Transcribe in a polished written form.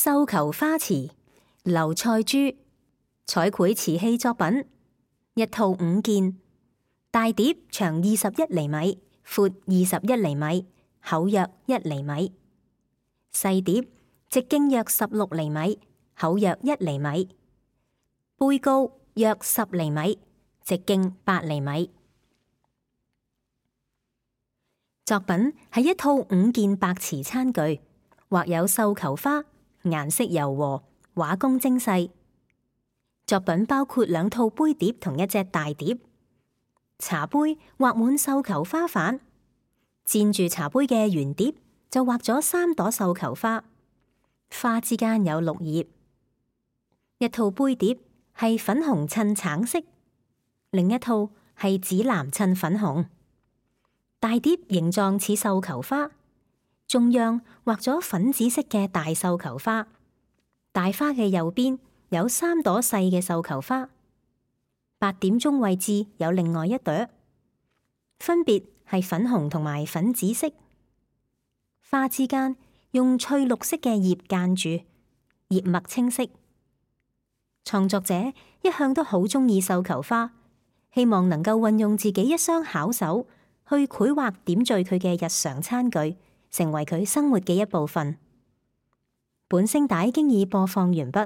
繡球花瓷，劉賽珠。彩繪瓷器作品，一套5件。大碟長21厘米，闊21厘米，厚約1厘米。細碟直徑約16厘米，厚約1厘米。杯高約10厘米，直徑8厘米。作品係一套5件白瓷餐具，畫有繡球花，顏色柔和，畫工精細。作品包括2套杯碟同一隻大碟。茶杯畫滿繡球花瓣，墊住茶杯嘅圓碟就畫咗3朵繡球花，花之間有綠葉。一套杯碟係粉紅襯橙色，另一套係紫藍襯粉紅。大碟形狀似繡球花，中央畫咗粉紫色嘅大繡球花，大花嘅右邊有3朵細嘅繡球花，白點中位置有另外1朵，分別係粉紅同埋粉紫色。花之間用翠綠色嘅葉間住，葉脈清晰。創作者一向都好鍾意繡球花，希望能夠運用自己一雙巧手去繪畫點綴佢嘅日常餐具，成為佢生活嘅一部分。本聲帶經已播放完畢。